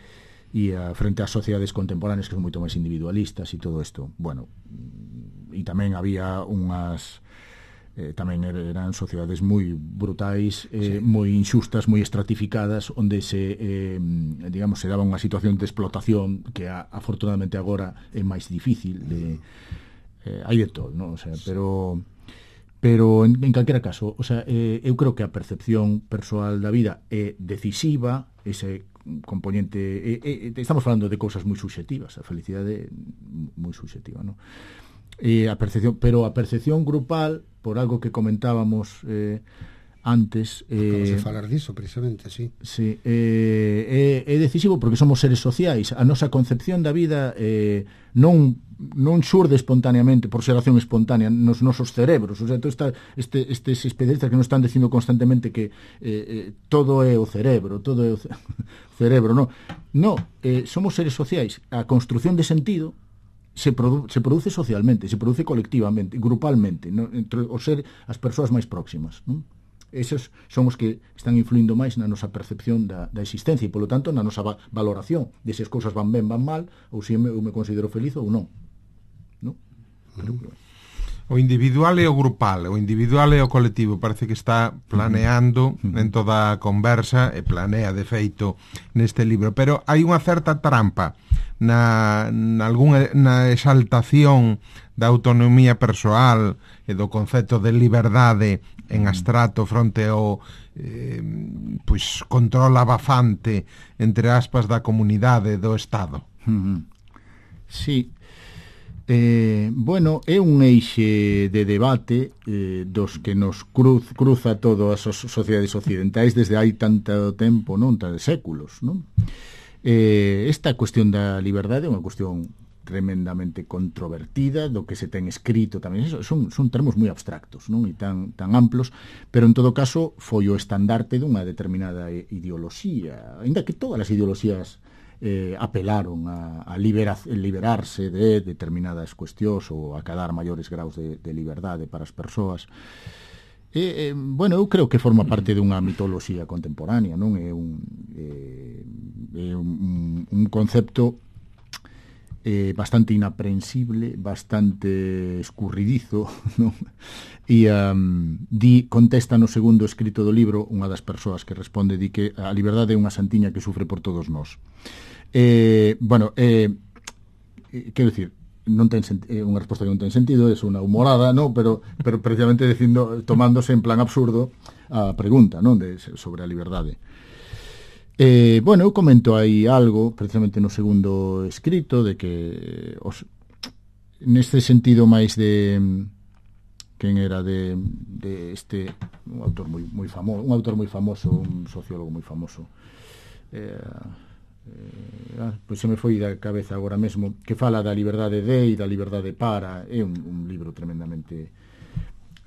e a, frente ás sociedades contemporáneas que son moito máis individualistas e todo isto. Bueno, e tamén había unhas eh, tamén eran sociedades moi brutais, eh, sí. moi inxustas, moi estratificadas, onde se eh, digamos, se daba unha situación de explotación que a, afortunadamente agora é máis difícil de, eh, hai de todo, ¿no? O sea, pero pero en, en calquera caso, o sea, eh, eu creo que a percepción persoal da vida é decisiva, ese componente eh, eh, estamos falando de cousas moi subxectivas, a felicidade moi subxectiva, ¿no? E a percepción, pero a percepción grupal, por algo que comentábamos eh, antes, eh, acabas de falar diso precisamente, sí. Sí, eh, é, é decisivo porque somos seres sociais. A nosa concepción da vida eh, non non xurde espontáneamente, por xeración espontánea nos nosos cerebros. O sea, todo está, este, estes especialistas que nos están dicindo constantemente que eh, eh, todo é o cerebro, todo é o ce... cerebro, no. No, eh, somos seres sociais. A construción de sentido se, produ se produce socialmente, se produce colectivamente, grupalmente, no? Entre o ser as persoas máis próximas, non? Esos son os que están influindo máis na nosa percepción da, da existencia e, polo tanto, na nosa va valoración de se as cousas van ben, van mal, ou se eu me considero feliz ou non. No? Pero, pero... O individual e o grupal, o individual e o colectivo, parece que está planeando uh-huh. en toda a conversa, e planea, de feito, neste libro. Pero hai unha certa trampa na, na, algunha, na exaltación da autonomía persoal e do concepto de liberdade en abstrato fronte ao eh, pois, control abafante, entre aspas, da comunidade, do Estado. Uh-huh. Sí. Eh, bueno, é un eixe de debate eh, dos que nos cruz, cruza todas as sociedades occidentais desde hai tanto tempo, non? Tantos séculos, non? Eh, esta cuestión da liberdade é unha cuestión tremendamente controvertida, do que se ten escrito tamén, son, son termos moi abstractos, non? E tan, tan amplos, pero en todo caso foi o estandarte dunha determinada ideoloxía, ainda que todas as ideoloxías eh, apelaron a, a libera, liberarse de determinadas cuestións ou a cadar maiores graus de, de liberdade para as persoas. E, eh, bueno, eu creo que forma parte dunha mitoloxía contemporánea, non? É un, eh, é un, un concepto eh, bastante inaprensible, bastante escurridizo, non? E um, di, contesta no segundo escrito do libro unha das persoas que responde, di que a liberdade é unha santiña que sufre por todos nós. Eh, bueno, eh, quero dicir, non ten é unha resposta que non ten sentido, é unha humorada, no, pero pero precisamente dicindo, tomándose en plan absurdo a pregunta, non, de sobre a liberdade. Eh, bueno, eu comento aí algo precisamente no segundo escrito de que os, neste sentido máis de quen era de, de este un autor moi moi famoso, un autor moi famoso, un sociólogo moi famoso. Eh, eh, ah, pois se me foi da cabeza agora mesmo, que fala da liberdade de e da liberdade para, é un, un libro tremendamente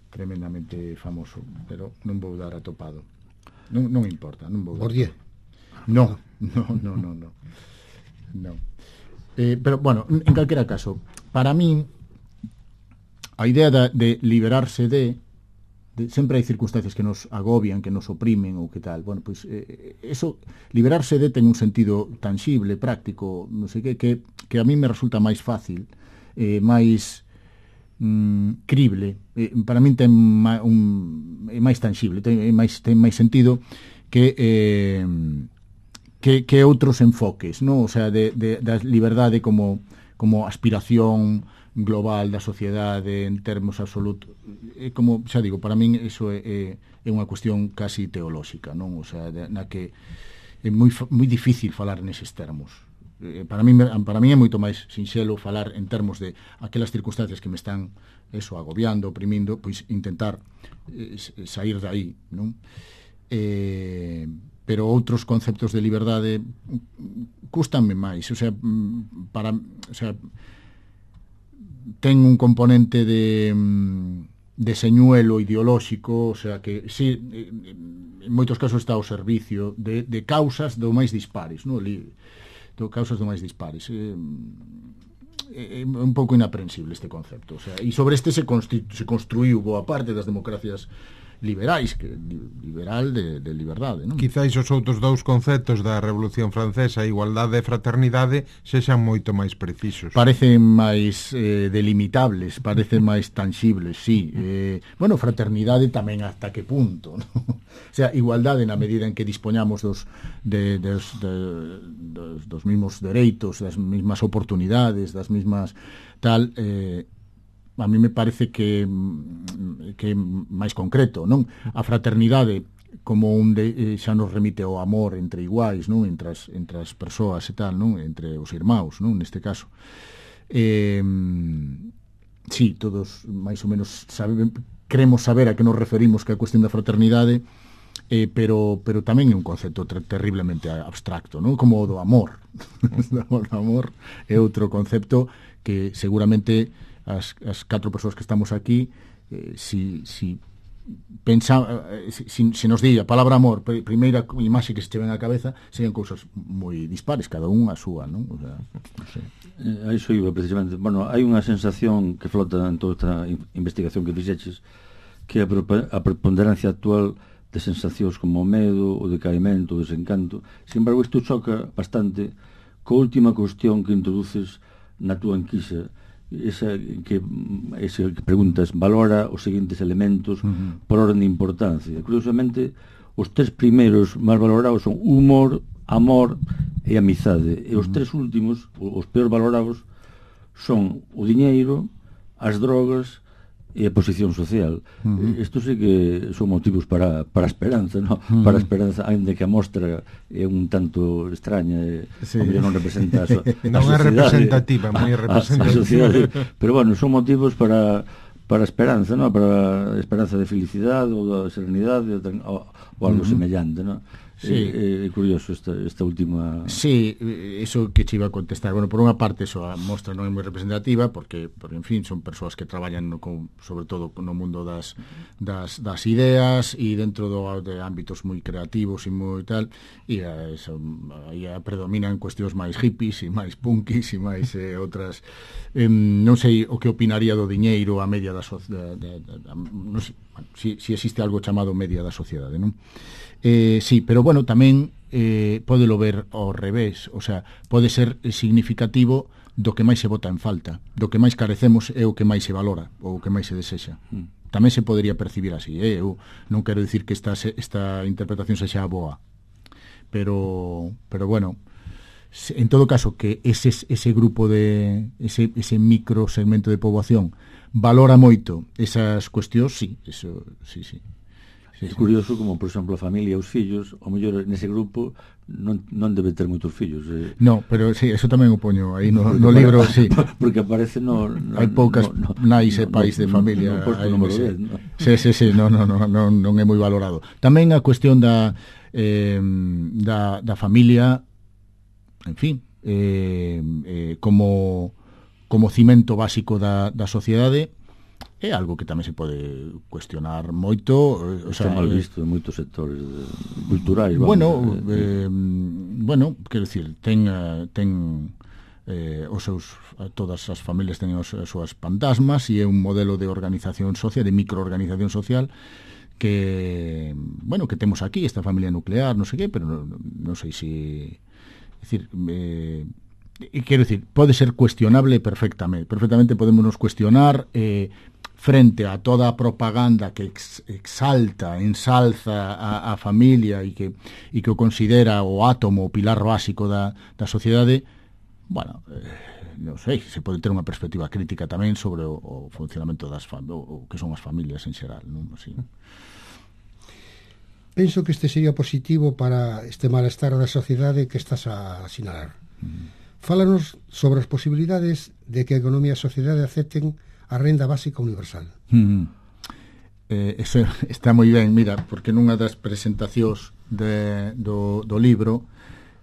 tremendamente famoso, pero non vou dar atopado. Non, non importa, non vou dar. Bourdieu. No, no, no, no, no. no. Eh, pero, bueno, en calquera caso, para min, a idea de, de liberarse de, de... Sempre hai circunstancias que nos agobian, que nos oprimen ou que tal. Bueno, pois, eh, eso, liberarse de ten un sentido tangible, práctico, non sei que, que, que a mí me resulta máis fácil, eh, máis mm, crible. Eh, para min ten ma, un, é máis tangible, ten, é máis, ten máis sentido que... Eh, que, que outros enfoques, ¿no? O sea, de, de, da liberdade como, como aspiración global da sociedade en termos absolutos. É como, xa digo, para min iso é, é, é unha cuestión casi teolóxica, non? O sea, de, na que é moi, moi difícil falar neses termos. Eh, para min para min é moito máis sinxelo falar en termos de aquelas circunstancias que me están eso agobiando, oprimindo, pois intentar eh, sair de aí, non? Eh, pero outros conceptos de liberdade custanme máis, o sea, para, o sea, ten un componente de de señuelo ideolóxico, o sea, que si en moitos casos está ao servicio de, de causas do máis dispares, no? De causas do máis dispares. É, é un pouco inaprensible este concepto, o sea, e sobre este se, se construiu boa parte das democracias liberais, que liberal de, de liberdade, non? Quizáis os outros dous conceptos da Revolución Francesa, igualdade e fraternidade, sexan moito máis precisos. Parecen máis eh, delimitables, parecen máis tangibles, sí. Eh, bueno, fraternidade tamén hasta que punto, ¿no? O sea, igualdade na medida en que dispoñamos dos, de, dos, de, dos, dos mismos dereitos, das mismas oportunidades, das mismas tal... Eh, a mí me parece que que é máis concreto, non? A fraternidade como un de, xa nos remite ao amor entre iguais, non? Entre as, entre as persoas e tal, non? Entre os irmãos, non? Neste caso. Eh, sí, todos máis ou menos sabe, queremos saber a que nos referimos que a cuestión da fraternidade eh, pero, pero tamén é un concepto ter terriblemente abstracto, non? Como o do amor. O amor é outro concepto que seguramente as, as catro persoas que estamos aquí, eh, si, si pensa, eh, si, si nos di a palabra amor, pr primeira imaxe que se che ven á cabeza, serían cousas moi dispares, cada un a súa, non? O sea, non sei. Eh, a iso iba precisamente. Bueno, hai unha sensación que flota en toda esta investigación que fixeches, que a, a preponderancia actual de sensacións como o medo, o decaimento, o desencanto. Sin embargo, isto choca bastante coa última cuestión que introduces na túa enquisa, esa que, esa que preguntas, valora os seguintes elementos uh-huh. por orden de importancia. Curiosamente, os tres primeiros máis valorados son humor, amor e amizade, e os uh-huh. tres últimos, os peor valorados, son o diñeiro, as drogas e a posición social. Uh-huh. Isto sí que son motivos para, para a esperanza, ¿no? Uh-huh. Para a esperanza, ainda que a mostra é un tanto extraña, e sí. non representa a, so, a non é representativa, moi representativa. A, a sociedade, pero bueno, son motivos para para a esperanza, ¿no? Para a esperanza de felicidade ou da serenidade ou, ou algo uh-huh. semellante, ¿no? Sí. É, é curioso esta, esta última... Sí, eso que che iba a contestar. Bueno, por unha parte, eso a mostra non é moi representativa, porque, porque en fin, son persoas que traballan no, con, sobre todo no mundo das, das, das ideas e dentro do, de ámbitos moi creativos e moi tal, e a, eso, aí predominan cuestións máis hippies e máis punkis e máis eh, outras... Eh, non sei o que opinaría do diñeiro a media da sociedade, non sei, bueno, si, si existe algo chamado media da sociedade, non? Eh, sí, pero bueno, tamén eh, podelo ver ao revés, o sea, pode ser significativo do que máis se bota en falta, do que máis carecemos é o que máis se valora, ou o que máis se desexa. Mm. Tamén se podería percibir así, eh? Eu non quero dicir que esta, esta interpretación sexa boa, pero, pero bueno, en todo caso que ese, ese grupo de ese, ese micro segmento de poboación valora moito esas cuestións, sí, eso, sí, sí. Sí, é curioso como, por exemplo, a familia e os fillos, o mellor nese grupo non, non debe ter moitos fillos. Eh. No, pero sí, eso tamén o poño aí no, no libro, sí. Porque aparece no... no hai poucas no, no, nais e pais no, de familia. No, no, no número dez, no? Sí, sí, sí, no, no, no, non, non é moi valorado. Tamén a cuestión da, eh, da, da familia, en fin, eh, eh, como, como cimento básico da, da sociedade, é algo que tamén se pode cuestionar moito, o sea, está mal visto en moitos sectores de, culturais, vamos, bueno, eh, eh, bueno, quero dicir, ten ten eh, os seus todas as familias teñen as súas fantasmas e é un modelo de organización social, de microorganización social que, bueno, que temos aquí, esta familia nuclear, non sei que, pero non, non sei se, é dicir, eh, e quero dicir, pode ser cuestionable perfectamente, perfectamente podemos nos cuestionar eh, frente a toda a propaganda que ex, exalta, ensalza a, a familia e que, e que o considera o átomo, o pilar básico da, da sociedade, bueno, eh, non sei, se pode ter unha perspectiva crítica tamén sobre o, o funcionamento das fam o, o que son as familias en xeral, non? Así. Penso que este sería positivo para este malestar da sociedade que estás a asinalar. Mm. Fálanos sobre as posibilidades de que a economía e a sociedade acepten a renda básica universal. Mm. Eh, eso está moi ben, mira, porque nunha das presentacións de, do, do libro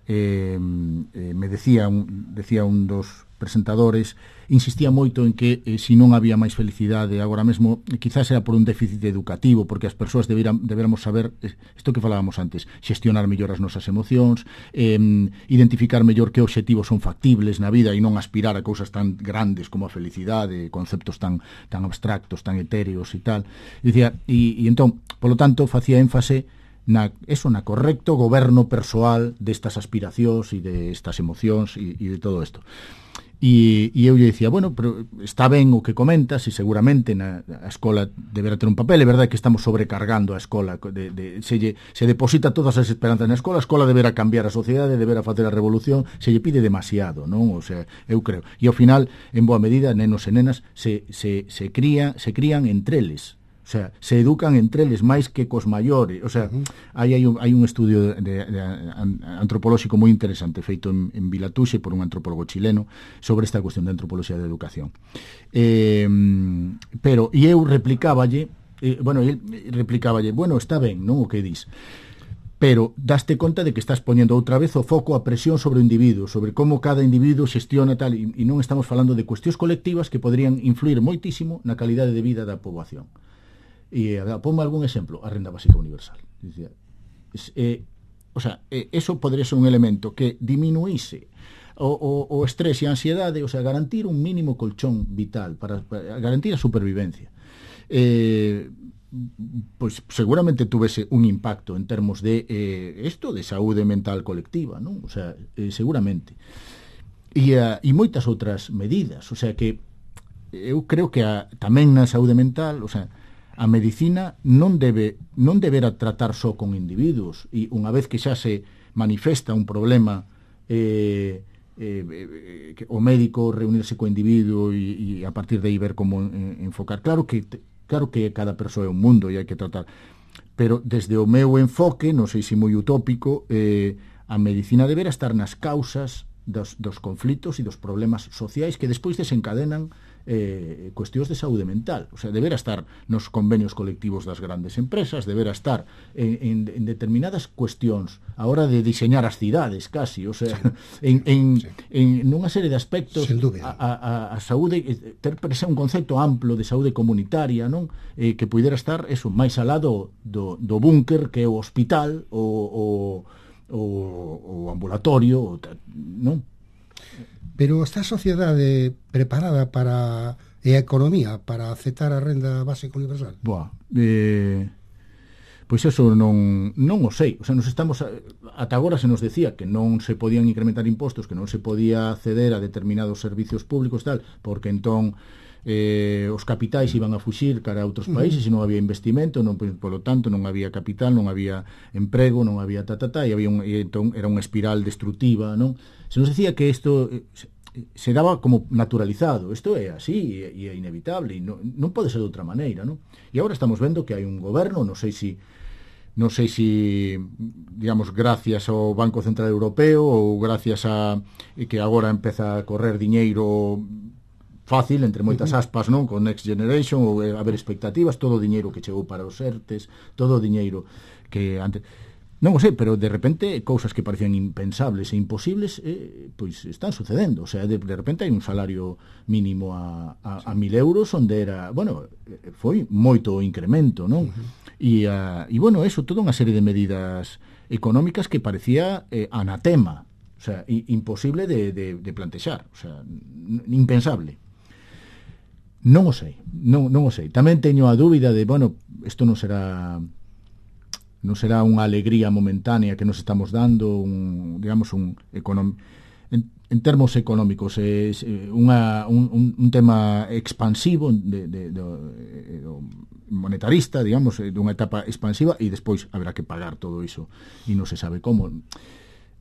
eh, eh, me decía un, decía un dos presentadores, insistía moito en que eh, se non había máis felicidade agora mesmo, quizás era por un déficit educativo, porque as persoas deberan, deberamos saber isto que falábamos antes, xestionar mellor as nosas emocións, eh, identificar mellor que obxectivos son factibles na vida e non aspirar a cousas tan grandes como a felicidade, conceptos tan tan abstractos, tan etéreos e tal. E dicía, e, e entón, polo tanto, facía énfase na, eso, na correcto goberno persoal destas aspiracións e destas emocións e, e de todo isto. E, e eu lle dicía, bueno, pero está ben o que comentas e seguramente na, a escola deberá ter un papel, é verdade que estamos sobrecargando a escola de, de, se, lle, se deposita todas as esperanzas na escola, a escola deberá cambiar a sociedade, deberá facer a revolución, se lle pide demasiado, non? O sea, eu creo, e ao final, en boa medida, nenos e nenas se, se, se, cría, se crían entre eles. O sea, se educan entre eles máis que cos maiores. O sea, uh-huh. aí hai un, hai un estudio de, de, de antropolóxico moi interesante feito en, en Vilatuxe por un antropólogo chileno sobre esta cuestión de antropoloxía de educación. Eh, pero, e eu replicáballe eh, bueno, el replicáballe, bueno, está ben, non o que dis, pero daste conta de que estás poñendo outra vez o foco a presión sobre o individuo, sobre como cada individuo xestiona tal, e, e non estamos falando de cuestións colectivas que poderían influir moitísimo na calidade de vida da poboación. E, ponme algún exemplo, a renda básica universal. Dicía, eh, o sea, eh, eso podría ser un elemento que diminuíse o, o, o estrés e a ansiedade, o sea, garantir un mínimo colchón vital para, para garantir a supervivencia. Eh, pois seguramente tuvese un impacto en termos de eh, isto de saúde mental colectiva, non? O sea, eh, seguramente. E, uh, e moitas outras medidas, o sea que eu creo que a, tamén na saúde mental, o sea, a medicina non debe non deberá tratar só con individuos, e unha vez que xa se manifesta un problema eh, eh, eh, que o médico reunirse co individuo e, e a partir de aí ver como eh, enfocar. Claro que te, Claro que cada persoa é un mundo e hai que tratar, pero desde o meu enfoque, non sei se moi utópico, eh, a medicina debera estar nas causas dos, dos conflitos e dos problemas sociais que despois desencadenan eh, cuestións de saúde mental. O sea, debera estar nos convenios colectivos das grandes empresas, debera estar en, en, en determinadas cuestións a hora de diseñar as cidades, casi, o sea, sí. en, en, sí. en nunha serie de aspectos a, a, a saúde, ter presa un concepto amplo de saúde comunitaria, non? Eh, que puidera estar eso máis alá do, do, do búnker que é o hospital o, o, o, o ambulatorio, non? Pero está a sociedade preparada para e a economía para aceptar a renda básica universal? Boa, eh, pois eso non, non o sei. O sea, nos estamos ata agora se nos decía que non se podían incrementar impostos, que non se podía acceder a determinados servicios públicos tal, porque entón eh, os capitais iban a fuxir cara a outros países e non había investimento, non, polo tanto non había capital, non había emprego, non había ta, ta, ta, e, había un, e entón era unha espiral destructiva, non? Se nos decía que isto se, se daba como naturalizado, isto é así e é inevitable e non, non pode ser de outra maneira, non? E agora estamos vendo que hai un goberno, non sei se non sei se, digamos, gracias ao Banco Central Europeo ou gracias a que agora empeza a correr diñeiro fácil, entre moitas aspas, non? Con Next Generation, ou haber expectativas, todo o diñeiro que chegou para os ERTES, todo o diñeiro que antes... Non o sei, pero de repente cousas que parecían impensables e imposibles eh, pois están sucedendo. O sea, de, de repente hai un salario mínimo a, a, a mil euros onde era, bueno, foi moito incremento, non? Uh-huh. E, uh, e bueno, eso, toda unha serie de medidas económicas que parecía eh, anatema, o sea, imposible de, de, de plantexar, o sea, impensable. Non o sei, non, non o sei. Tamén teño a dúbida de, bueno, isto non será non será unha alegría momentánea que nos estamos dando, un, digamos, un econom... en, en termos económicos, é unha, un, un tema expansivo de, de, de, de monetarista, digamos, dunha etapa expansiva e despois haberá que pagar todo iso e non se sabe como.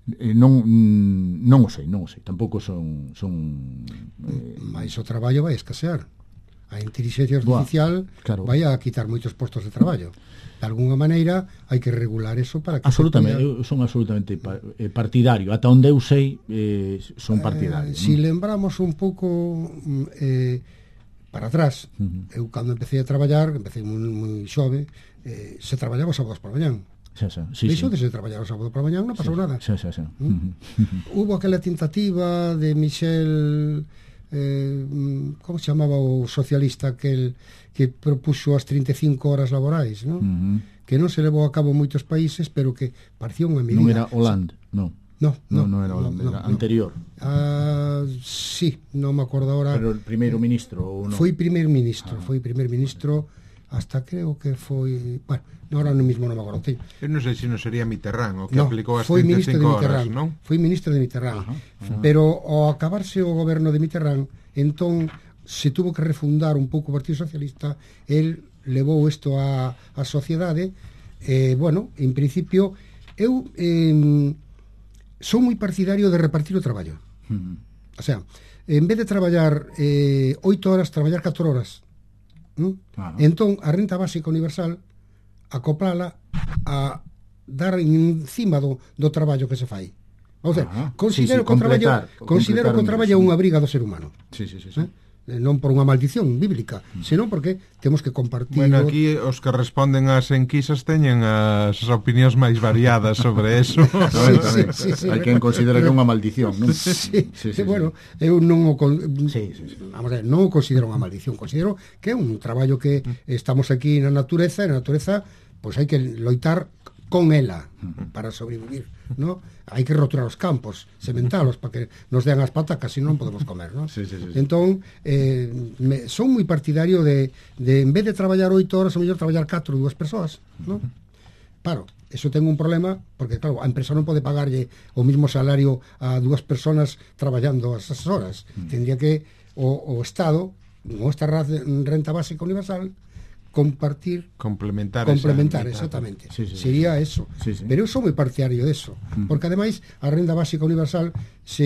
Eh, non non o sei, non o sei. Tampouco son son eh... mais o traballo vai escasear. A inteligencia artificial Buah, claro. vai a quitar moitos postos de traballo. De alguna maneira hai que regular eso para que absolutamente, pueda... eu son absolutamente partidario. Ata onde eu sei eh, son partidario. Eh, si lembramos un pouco eh, para atrás, uh-huh. eu cando empecé a traballar, empecé moi, moi xove, eh, se traballaba os sábados por mañán. Xa, xa, sí, Deixou sí. de se traballar o sábado por mañán, non pasou sí, nada. Xa, xa, xa. ¿Mm? Uh-huh. Hubo aquela tentativa de Michel... Eh, como se chamaba o socialista aquel que propuxo as trinta e cinco horas laborais, non? Uh-huh. Que non se levou a cabo en moitos países, pero que parecía unha medida. Non era Hollande, non. No, no, no, no era Hollande, no, era no, anterior. Ah, uh, sí, non me acordo agora. Pero el primeiro ministro ou non? Foi primeiro ministro, ah. foi primeiro ministro hasta creo que foi, bueno, ahora no mismo non me acordo. Eu non sei se non sería Mitterrand o que no, aplicou as foi trinta e cinco horas, non? Foi ministro de Mitterrand. Ajá, ajá. Pero ao acabarse o goberno de Mitterrand, entón se tuvo que refundar un pouco o Partido Socialista, el levou isto á, á sociedade, eh, bueno, en principio eu eh, son moi partidario de repartir o traballo. Uh-huh. O sea, en vez de traballar eh, oito horas, traballar catro horas. ¿Mm? Claro. Entón, a renta básica universal acoplala a dar encima do, do traballo que se fai. O sea, ah, considero sí, sí, que o traballo considero que o traballo é unha briga do ser humano. Sí, sí, sí, sí. ¿Eh? non por unha maldición bíblica, senón porque temos que compartir. Bueno, aquí os que responden ás enquisas teñen as opinións máis variadas sobre eso. Sí, sí, sí, sí, hai quen considera que é unha maldición, non? Sí, sí, sí, bueno, eu non o con... sí, sí, sí. Vamos a ver, non o considero unha maldición, considero que é un traballo que estamos aquí na natureza, e na natureza pois hai que loitar con ela para sobrevivir, ¿no? Hai que roturar os campos, sementalos para que nos dean as patacas, se non podemos comer, ¿no? Sí, sí, sí, sí. Entón, eh, me, son moi partidario de, de en vez de traballar oito horas, a mellor traballar catro, dúas persoas, ¿no? Claro, eso ten un problema, porque claro, a empresa non pode pagarlle o mismo salario a dúas personas traballando esas horas. Mm. Tendría que o, o Estado, con esta renta básica universal, compartir, complementar, complementar esa, exactamente. Sí, sí, sería sí. eso. Sí, sí. Pero eu sou moi partidario deso, uh-huh. porque ademais a renda básica universal se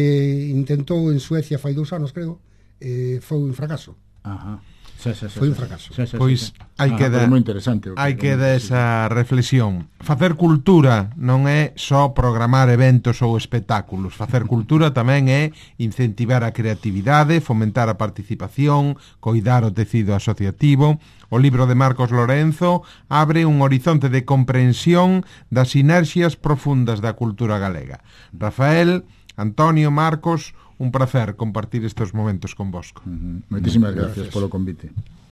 intentou en Suecia fai dous anos, creo, eh, foi un fracaso. Ajá. Sí, sí, sí, foi un sí, fracaso. Sí, sí, pois sí, sí. hai que dar moi interesante. hai que dar esa reflexión. Facer cultura non é só programar eventos ou espectáculos. Facer cultura tamén é incentivar a creatividade, fomentar a participación, coidar o tecido asociativo. O libro de Marcos Lorenzo abre un horizonte de comprensión das sinerxias profundas da cultura galega. Rafael, Antonio, Marcos, un placer compartir estes momentos con vosco. Uh-huh. Moitísimas gracias polo convite.